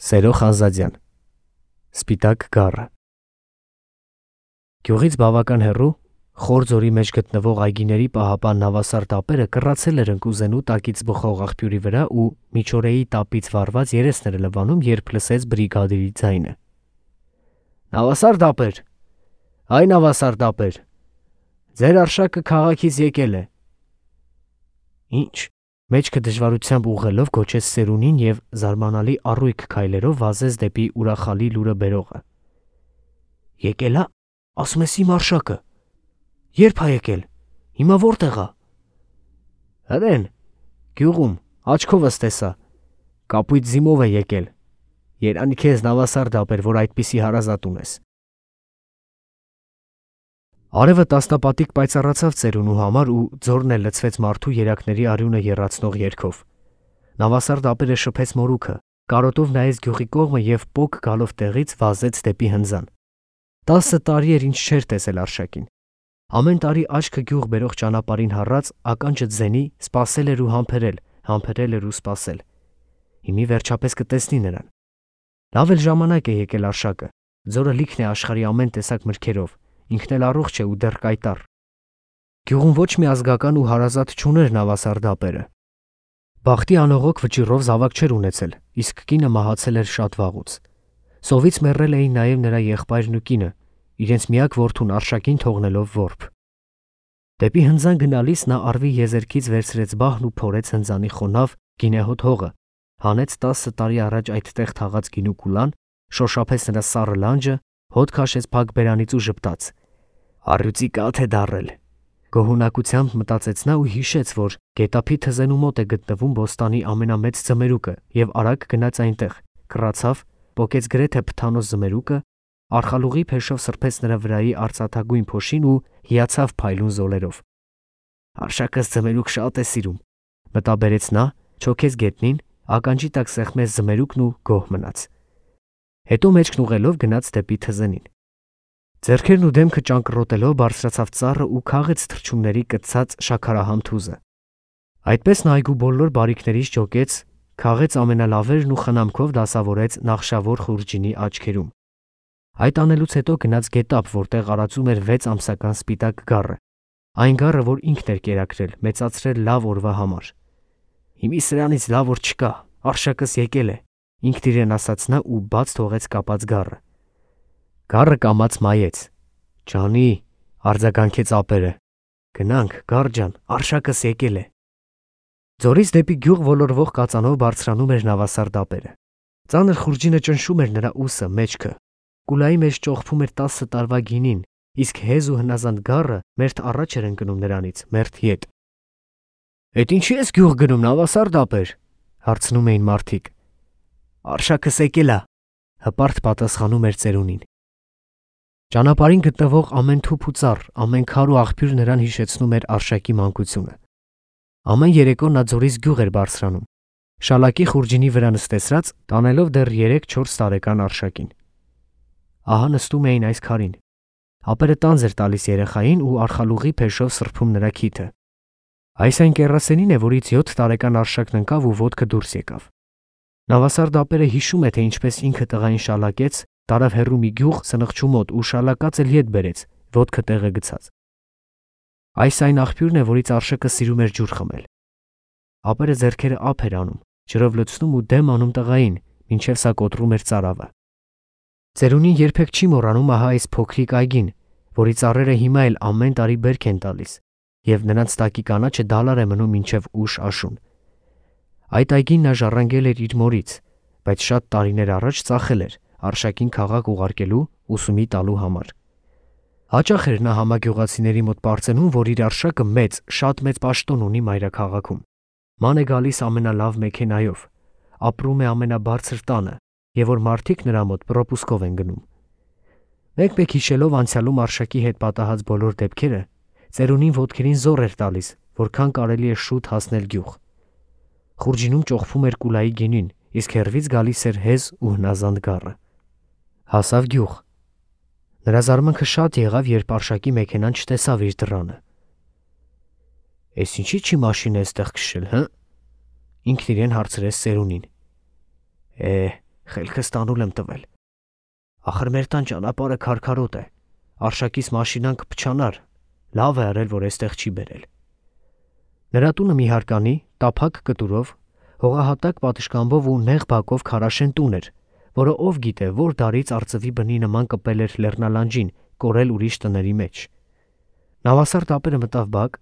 Սերո Խանզադյան Սպիտակ գառը Գյուղից բավական հեռու խոր ձորի մեջ գտնվող այգիների պահապան նավասար տապերը կռացել էր ընկուզենու տակից բխող աղբյուրի վրա ու միջօրեի տապից վառված երեսները լվանում, երբ լսեց բրիգադիրի ձայնը. «Նավասար տապեր, այ նավասար տապեր, ձեր արշակը քաղաքից եկել է»։ «Ինչ»։ Մեջքը դժվարությամբ ուղղելով գոչեց Սերունին և զարմանալի առույգ քայլերով վազեց դեպի ուրախալի լուրը բերողը։ «Եկել ա, ասում ես իմ արշակը, երբ ա եկել, հիմա որտեղ ա»։ «Հրեն, գյուղում, աչքովս տեսա, կապույտ զիմով է եկել, երանի քեզ նավասար տապեր, որ այդպիսի հարազատ ունես»։ Արևը տասնապատիկ պայծառացավ ծերունու համար ու ձորն էլ լցվեց մարդու երակների արյունը եռացնող երգով։ Նավասար տապերը շփեց մորուքը, կարոտով նայեց գյուղի կողմը և պոկ գալով տեղից վազեց դեպի հնձան։ 10 տարի էր ինչ չէր տեսել արշակին։ Ամեն տարի աչքը գյուղ բերող ճանապարհին հառած ականջը ձենի սպասել էր ու համբերել էր ու սպասել։ Հիմի վերջապես կտեսնի նրան։ Լավ էլ ժամանակ է եկել արշակը, ձորը լիքն է աշխարհի ամեն տեսակ մրգերով, ինքն էլ առողջ է ու դեռ կայտառ։ Գյուղում ոչ մի ազգական ու հարազատ չուներ նավասար տապերը։ Բախտի անողոք վճիռով զավակ չէր ունեցել, իսկ կինը մահացել էր շատ վաղուց։ Սովից մեռել էին նաև նրա եղբայրն ու կինը, իրենց միակ որդուն արշակին թողնելով որբ։ Դեպի հնձան գնալիս նա արվի եզերքից վերցրեց բահն ու փորեց հնձանի խոնավ գինեհոտ հողը, հանեց 10 տարի առաջ այդտեղ թաղած գինու կուլան, շոշափեց նրա սառը լանջը, հոտ քաշեց փակ բերանից ու ժպտաց. «Առյուծի կաթ է դառել»։ Գոհունակությամբ մտածեց նա ու հիշեց, որ գետափի թզենու մոտ է գտնվում բոստանի ամենամեծ ձմերուկը և արագ գնաց այնտեղ, կռացավ, պոկեց գրեթե փթանոց ձմերուկը, արխալուղի փեշով սրբեց նրա վրայի արծաթագույն փոշին ու հիացավ փայլուն զոլերով։ «Արշակս ձմերուկ շատ է սիրում», մտաբերեց նա, չոքեց գետնին, ականջի տակ սեղմեց ձմերուկն ու գոհ մնաց։ Հետո մեջքն ուղղելով գնաց դեպի թզենին։ Ձեռքերն ու դեմքը ճանկռոտելով բարձրացավ ծառը ու քաղեց թռչունների կծած շաքարահամ թուզը։ Այդպես նա այգու բոլոր բարիքներից ջոկեց, քաղեց ամենալավերն ու խնամքով դասավորեց նախշավոր խուրջինի աչքերում։ Այդ անելուց հետո գնաց գետափ, որտեղ արածում էր 6 ամսական սպիտակ գառը, այն գառը, որ ինքն էր կերակրել, մեծացրել լավ օրվա համար։ «Հիմի սրանից լավ օր չկա, արշակս եկել է», ինքն իրեն ասաց նա ու բաց թողեց կապած գառը։ Գառը կամաց մայեց։ «Ջանի», արձագանքեց ապերը, «գնանք, գառ ջան, արշակս եկել է»։ Ձորից դեպի գյուղ ոլորվող կածանով բարձրանում էր նավասար տապերը։ Ծանր խուրջինը ճնշում էր նրա ուսը, մեջքը։ Կուլայի մեջ ճոխփում էր 10 տարվա գինին, իսկ հեզ ու հնազանդ գառը մերթ առաջ էր ընկնում նրանից, մերթ ետ։ «Էդ ինչի ես գյուղ գնում, նավասար տապեր», հարցնում էին մարդիկ։ «Արշակս եկել ա», հպարտ պատասխանում էր ծերունին։ Ճանապարհին գտնվող ամեն թուփ ու ծառ, ամեն քար ու աղբյուր նրան հիշեցնում էր արշակի մանկությունը։ Ամեն երեկո նա ձորից գյուղ էր բարձրանում, շալակի խուրջինի վրա նստեցրած, տանելով դեռ 3-4 տարեկան արշակին։ Ահա նստում էին այս քարին։ Ապերը տանձ էր տալիս երեխային ու արխալուղի փեշով սրբում նրա քիթը։ Այս այն կեռասենին է, որից 7 տարեկան արշակն ընկավ ու ոտքը դուրս եկավ։ Նավասար տապերը հիշում է, թե ինչպես ինքը տղային շալակեց, տարավ հեռու մի գյուղ սնխչու մոտ ու շալակած էլ ետ բերեց, ոտքը տեղը գցած։ Այս այն աղբյուրն է, որից արշակը սիրում էր ջուր խմել։ Ապերը ձեռքերը ափ էր անում, ջրով լցնում ու դեմ անում տղային, մինչև սա կոտրում էր ծարավը։ Ծերունին երբեք չի մոռանում ահա այս փոքրիկ այգին, որի ծառերը հիմա էլ ամեն տարի բերք են տալիս, և նրանց տակի կանաչը դալար է մնում մինչև ուշ աշուն։ Այդ այգին նա ժառանգել էր իր մորից, բայց շատ տարիներ առաջ ծախել էր արշակին քաղաք ուղարկելու, ուսումի տալու համար։ Հաճախ էր նա համագյուղացիների մոտ պարծենում, որ իր արշակը շատ մեծ պաշտոն ունի մայրաքաղաքում։ Ման է գալիս ամենալավ մեքենայով, ապրում է ամենաբարձր տանը, և որ մարդիկ նրա մոտ պրոպուսկով են գնում։ Մեկ-մեկ հիշելով անցյալում արշակի հետ պատահած բոլոր դեպքերը, ծերունին ոտքերին զոռ էր տալիս, որքան կարելի է շուտ հասնել գյուղ։ Խուրջինում ճոխփում էր կուլայի գինին, իսկ հեռվից գալիս էր հեզ ու հնազանդ գառը։ Հասավ գյուղ։ Նրա զարմանքը շատ եղավ, երբ արշակի մեքենան չտեսավ իր դռանը։ «Էս ինչի՞ չի մաշին է էստեղ քշել, հը»։ Ինքն իրեն հարցրեց ծերունին։ խելքս տանուլ եմ տվել։ Ախր մեր տան ճանապարհը քարքարոտ է, Արշակիս մաշինան կփչանար, լավ է արել, որ այստեղ չի բերել։ Նրա տունը մի հարկանի, տափակ կտուրով, հողահատակ պատշգամբով ու նեղ բակով քարաշեն տուն էր, որը ով գիտե որ դարից արծվի բնի նման կպել էր լեռնալանջին, կորել ուրիշ տների մեջ։ Նավասարդ ապերը մտավ բակ,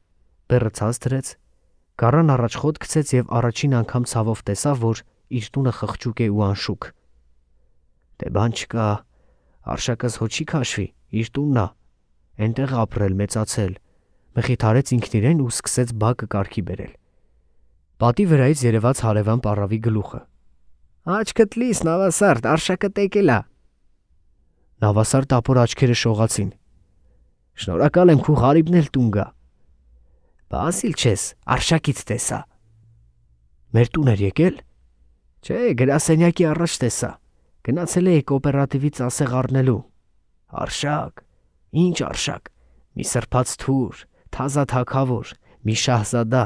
բեռը ցած դրեց, գառան առաջ խոտ գցեց եւ առաջին անգամ ցավով տեսավ, որ իր տունը խղճուկ է ու անշուք։ Դե բան չկա, Արշակս հո չի քաշվի, իր տունն է, այնտեղ ապրել, մեծացել, մխիթարեց ինքն իրեն ու սկսեց բակը կարգի բերել։ Պատի վրայից երևաց հարևան պառավի գլուխը։ Աչքդ լիս, Նավասարդ, Արշակը տեկել է։ Նավասարդ ապոր աչքերը շողացին։ Շնորհակալ եմ, քու Ղարիբն էլ տուն գա։ Բասիլ չես, Արշակից տեսա։ Մեր տուն էր եկել։ Չէ, գրասենյակի առաջ տեսա։ Գնացել էի կոոպերատիվից ասեղ առնելու։ Արշակ, ինչ Արշակ, մի սրբած թուր, թազա թագավոր, մի շահզադա,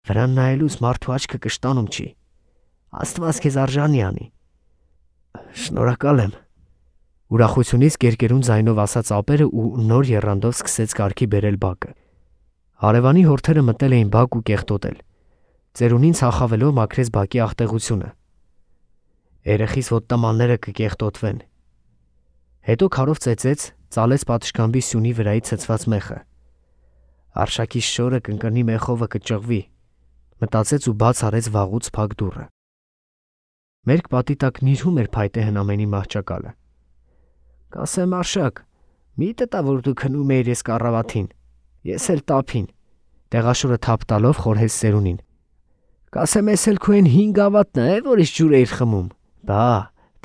վրան նայելուց մարդու աչքը կշտանում չի։ Աստված քեզ արժանի անի։ Շնորհակալ եմ։ Ուրախությունից կերկերուն ձայնով ասաց ապերը ու նոր եռանդով սկսեց կարգի բերել բակը։ Հարևանի հորթերը մտել էին բակ ու կեղտոտել։ Ծերունին ցախավելով մաքրեց բակի աղտեղությունը։ Երեխիս ոտտամանները կկեղտոտվեն։ Հետո քարով ծեծեց, ծալեց պատշգամբի սյունի վրայի ցցված մեխը։ Արշակի շորը կընկնի մեխովը կճղվի, մտածեց ու բաց արեց վաղուց փակ դուռը։ Մերկ պատի տակ նիրհում էր փայտե հնամենի մահճակալը։ Կասեմ Արշակ, մի տտա որ դու քնում էիր ես կառավաթին, ես էլ տափին, տեղաշորը թափ տալով խորհեց Սերունին։ Կասեմ ես էլ քո այն 5 ավատն է, որից ջուր էիր խմում։ Բա,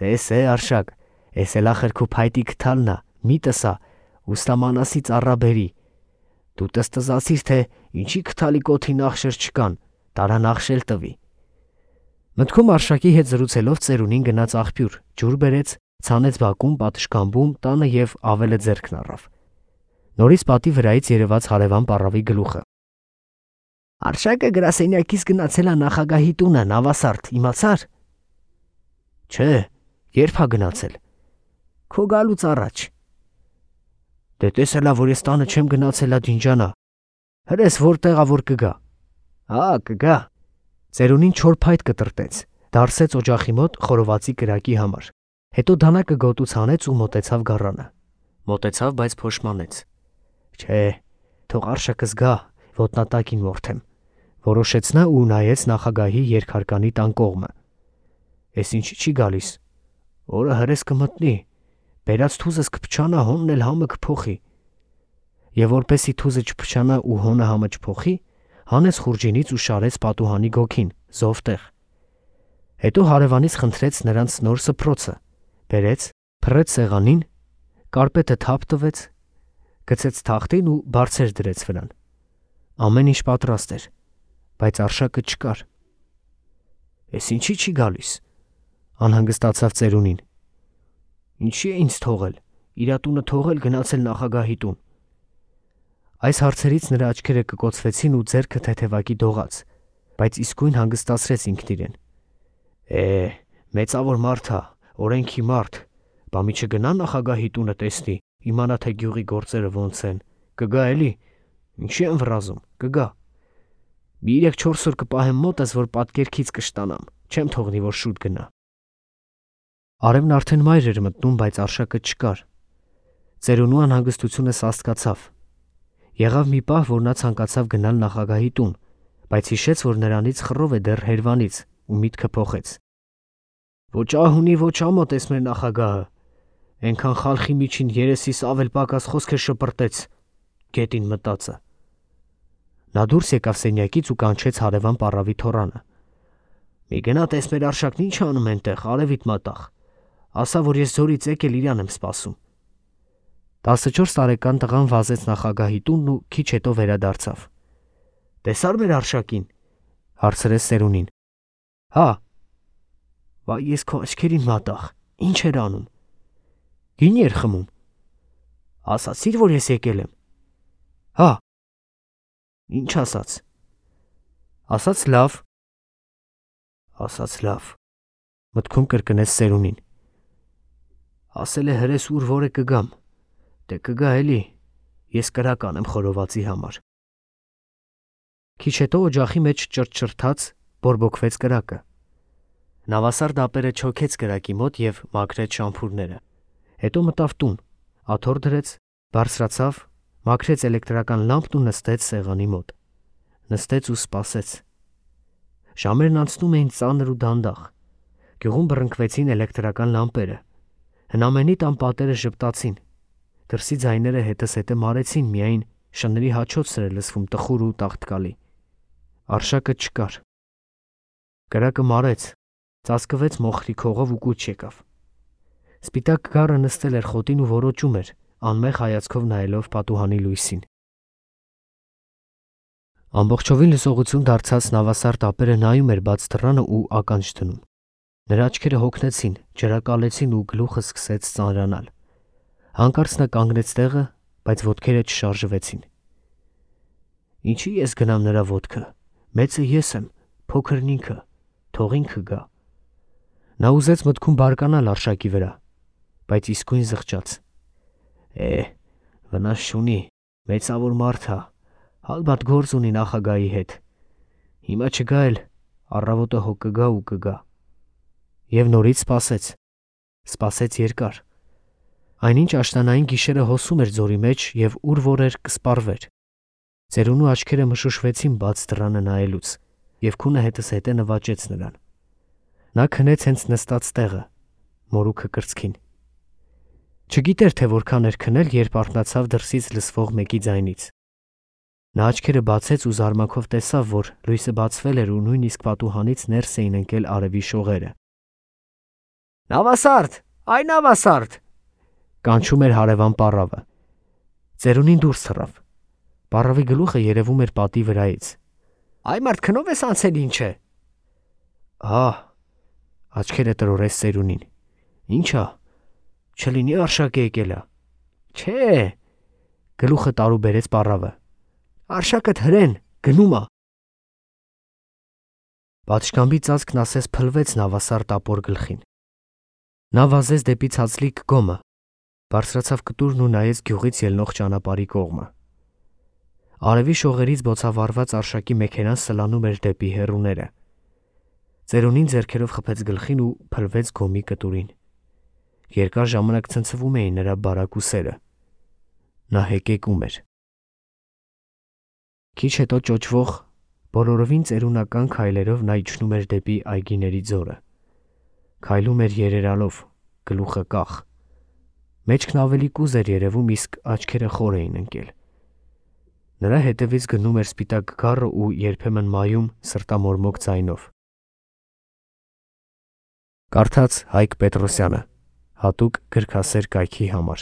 տես է Արշակ, ես էլ ախր քո փայտի կթալն է, մի տսա, ուստամանասի ծառաբերի։ Դու տստզացիր, թե ինչի կթալի կոթի նախշեր չկան, տարա նախշել տվի։ Մտքում Արշակի հետ զրուցելով Ծերունին գնաց աղբյուր, ջուր բերեց, ցանեց բակում, պատշգամբում, տանը եւ ավելը ձեռքն առավ։ Նորից պատի վրայից երևաց հարևան պառավի գլուխը։ Արշակը գրասենյակից գնացել է նախագահի տունը, Նավասարդ, իմացար։ Չէ, երբ է գնացել։ Քո գալուց առաջ։ Դե տեսելա, որ ես տանը չեմ գնացելա Դինջանա։ Հրես որտեղա որ կգա։ Կգա։ Ծերունին չոր փայտ կտրտեց, դարսեց օջախի մոտ խորովածի կրակի համար։ Հետո դանակը գոտուց հանեց ու մոտեցավ գառանը։ Մոտեցավ, բայց փոշմանեց։ Չէ, թող Արշակս գա, ոտնատակին որդեմ։ Որոշեց նա ու նայեց նախագահի երկհարկանի տան կողմը։ Էս ինչի չի գալիս։ Օրը հրես կմտնի, բերած թուզս կփչանա, հոնն էլ համը կփոխի։ Եվ որպեսի թուզը չփչանա ու հոնը համը չփոխի, հանեց խուրջինից ու շարեց պատուհանի գոքին, զովտեղ։ Հետո հարևանից խնդրեց նրանց նոր սփռոցը, բերեց, փռեց սեղանին, կարպետը թափ տվեց, գցեց թախտին ու բարձր դրեց վրան։ Ամեն ինչ պատրաստ էր, բայց Արշակը չկար։ Էս ինչի չի գալիս, անհանգստացավ Ծերունին։ Ինչի է ինձ թողել, իրա տունը թողել գնացել նախագահի տուն։ Այս հարցերից նրա աչքերը կկոցվեցին ու ձեռքը թեթևակի դողաց, բայց իսկույն հանգստացրեց ինքն իրեն։ Մեծավոր մարդ է, օրենքի մարդ, բա մի չգնա նախագահի տունը տեսնի, իմանա թե գյուղի գործերը ոնց են, կգա էլի, ինչի են վրազում, կգա։ Մի 3-4 օր կպահեմ մոտս, որ պատկերքից կշտանամ, չեմ թողնի, որ շուտ գնա։ Արևն արդեն մայր էր մտնում, բայց Արշակը չկար։ Ծերունու անհանգստությունը սաստկացավ։ Եղավ մի պահ, որ նա ցանկացավ գնալ նախագահի տուն, բայց հիշեց, որ նրանից խռով է դեռ հերվանից ու միտքը փոխեց։ Ոչ ահունի, ոչ ամոթ էս մեր նախագահը։ Այնքան խալխի միջին երեսիս ավել պակաս խոսքեր շպրտեց, գետին մտածը։ Նա դուրս եկավ սենյակից ու կանչեց հարևան պառավի թոռանը։ Մի գնա տես մեր Արշակն ինչ անում այնտեղ, արևիտ մատաղ։ Ասա, որ ես զորից եկել իրան եմ սպասում։ 14 տարեկան տղան վազեց նախագահի տունն ու քիչ հետո վերադարձավ։ Տեսար մեր Արշակին, հարցրեց Սերունին։ Հա։ Վայ ես քո աչքերին մատաղ, ինչ էր անում։ Գինի էր խմում։ Ասացիր, որ ես եկել եմ։ Հա։ Ինչ ասաց։ Ասաց լավ։ Մտքում կրկնեց Սերունին։ Ասել է հրես ուր որը կգամ։ Դե կգա էլի։ Ես կրակ անեմ խորովածի համար։ Քիչ հետո օջախի մեջ ճրճրթաց, բորբոքվեց կրակը։ Նավասարդ ապերը չոքեց կրակի մոտ և մաքրեց շամփուրները։ Հետո մտավ տուն, աթոռ դրեց, բարձրացավ, մաքրեց էլեկտրական լամպն ու նստեց սեղանի մոտ։ Նստեց ու սպասեց։ Ժամերն անցնում էին ծանր ու դանդաղ։ Գյուղում բռնկվեցին էլեկտրական լամպերը։ Հնամենի տան պատերը ժպտացին։ Դրսի ձայները հետզհետե մարեցին, միայն շների հաչոցն էր լսվում տխուր ու տաղտկալի։ Արշակը չկար։ Կրակը մարեց, ծածկվեց մոխրի քողով ու կուչ եկավ։ Սպիտակ գառը նստել էր խոտին ու որոճում էր, անմեղ հայացքով նայելով պատուհանի լույսին։ Ամբողջովին լսողություն դարձած նավասարդ ապերը նայում էր բաց դռանը ու ականջ դնում։ Նրա աչքերը հոգնեցին, ջրակալեցին ու գլուխը սկսեց ծանրանալ։ Հանկարծ նա կանգնեց տեղը, բայց ոտքերը չշարժվեցին։ Ինչի ես գնամ նրա ոտքը։ Մեծը ես եմ, փոքրն ինքը, թող ինքը գա։ Նա ուզեց մտքում բարկանալ արշակի վրա, բայց իսկույն զղջաց։ Վնաս չունի, մեծավոր մարդ ա, հալբատ գործ ունի նախագահի հետ։ Հիմա չգա էլ, առավոտը հո կգա ու կգա։ Եվ նորից սպասեց։ Սպասեց երկար։ Այնինչ աշնանային գիշերը հոսում էր ձորի մեջ և ուր որ էր կսպառվեր։ Ծերունու աչքերը մշուշվեցին բաց դռանը նայելուց, և քունը հետզհետե նվաճեց նրան։ Նա քնեց հենց նստած տեղը, մորուքը կրծքին։ Չգիտեր, թե որքան էր քնել, երբ արթնացավ դրսից լսվող մեկի ձայնից։ Նա աչքերը բացեց ու զարմանքով տեսավ, որ լույսը բացվել էր ու նույնիսկ պատուհանից ներս էին ընկել արևի շողերը։ Նավասարդ, այ նավասարդ, կանչում էր հարևան պառավը։ Ծերունին դուրս թռավ։ Պառավի գլուխը երևում էր պատի վրայից։ Այ մարդ քնով ես անցել ինչ է։ Աչքերը տրորեց Սերունին։ Ի՞նչա, չլինի արշակ եկել ա։ Չէ, գլուխը տարուբերեց պառավը։ Արշակդ հրեն, գնում ա։ Պատշգամբի ծածկն ասես փլվեց նավասարդ ապոր գլխին։ Նա վազեց դեպի ցածլիկ գոմը, բարձրացավ կտուրն ու նայեց գյուղից ելնող ճանապարհի կողմը։ Արևի շողերից բոցավառված արշակի մեքենան սլանում էր դեպի հեռուները։ Ծերունին ձեռքերով խփեց գլխին ու փլվեց գոմի կտուրին։ Երկար ժամանակ ցնցվում էին նրա բարակ ուսերը։ Նա հեկեկում էր։ Քիչ հետո ճոճվող, բոլորովին ծերունական քայլերով նա իջնում էր դեպի այգիների ձորը։ Քայլում էր երերալով, գլուխը կախ։ Մեջքն ավելի կուզ էր երևում, իսկ աչքերը խոր էին ընկել։ Նրա հետևից գնում էր սպիտակ գառը ու երբեմն մայում սրտամորմոք ձայնով։ Կարդաց Հայկ Պետրոսյանը, հատուկ գրքասեր կայքի համար։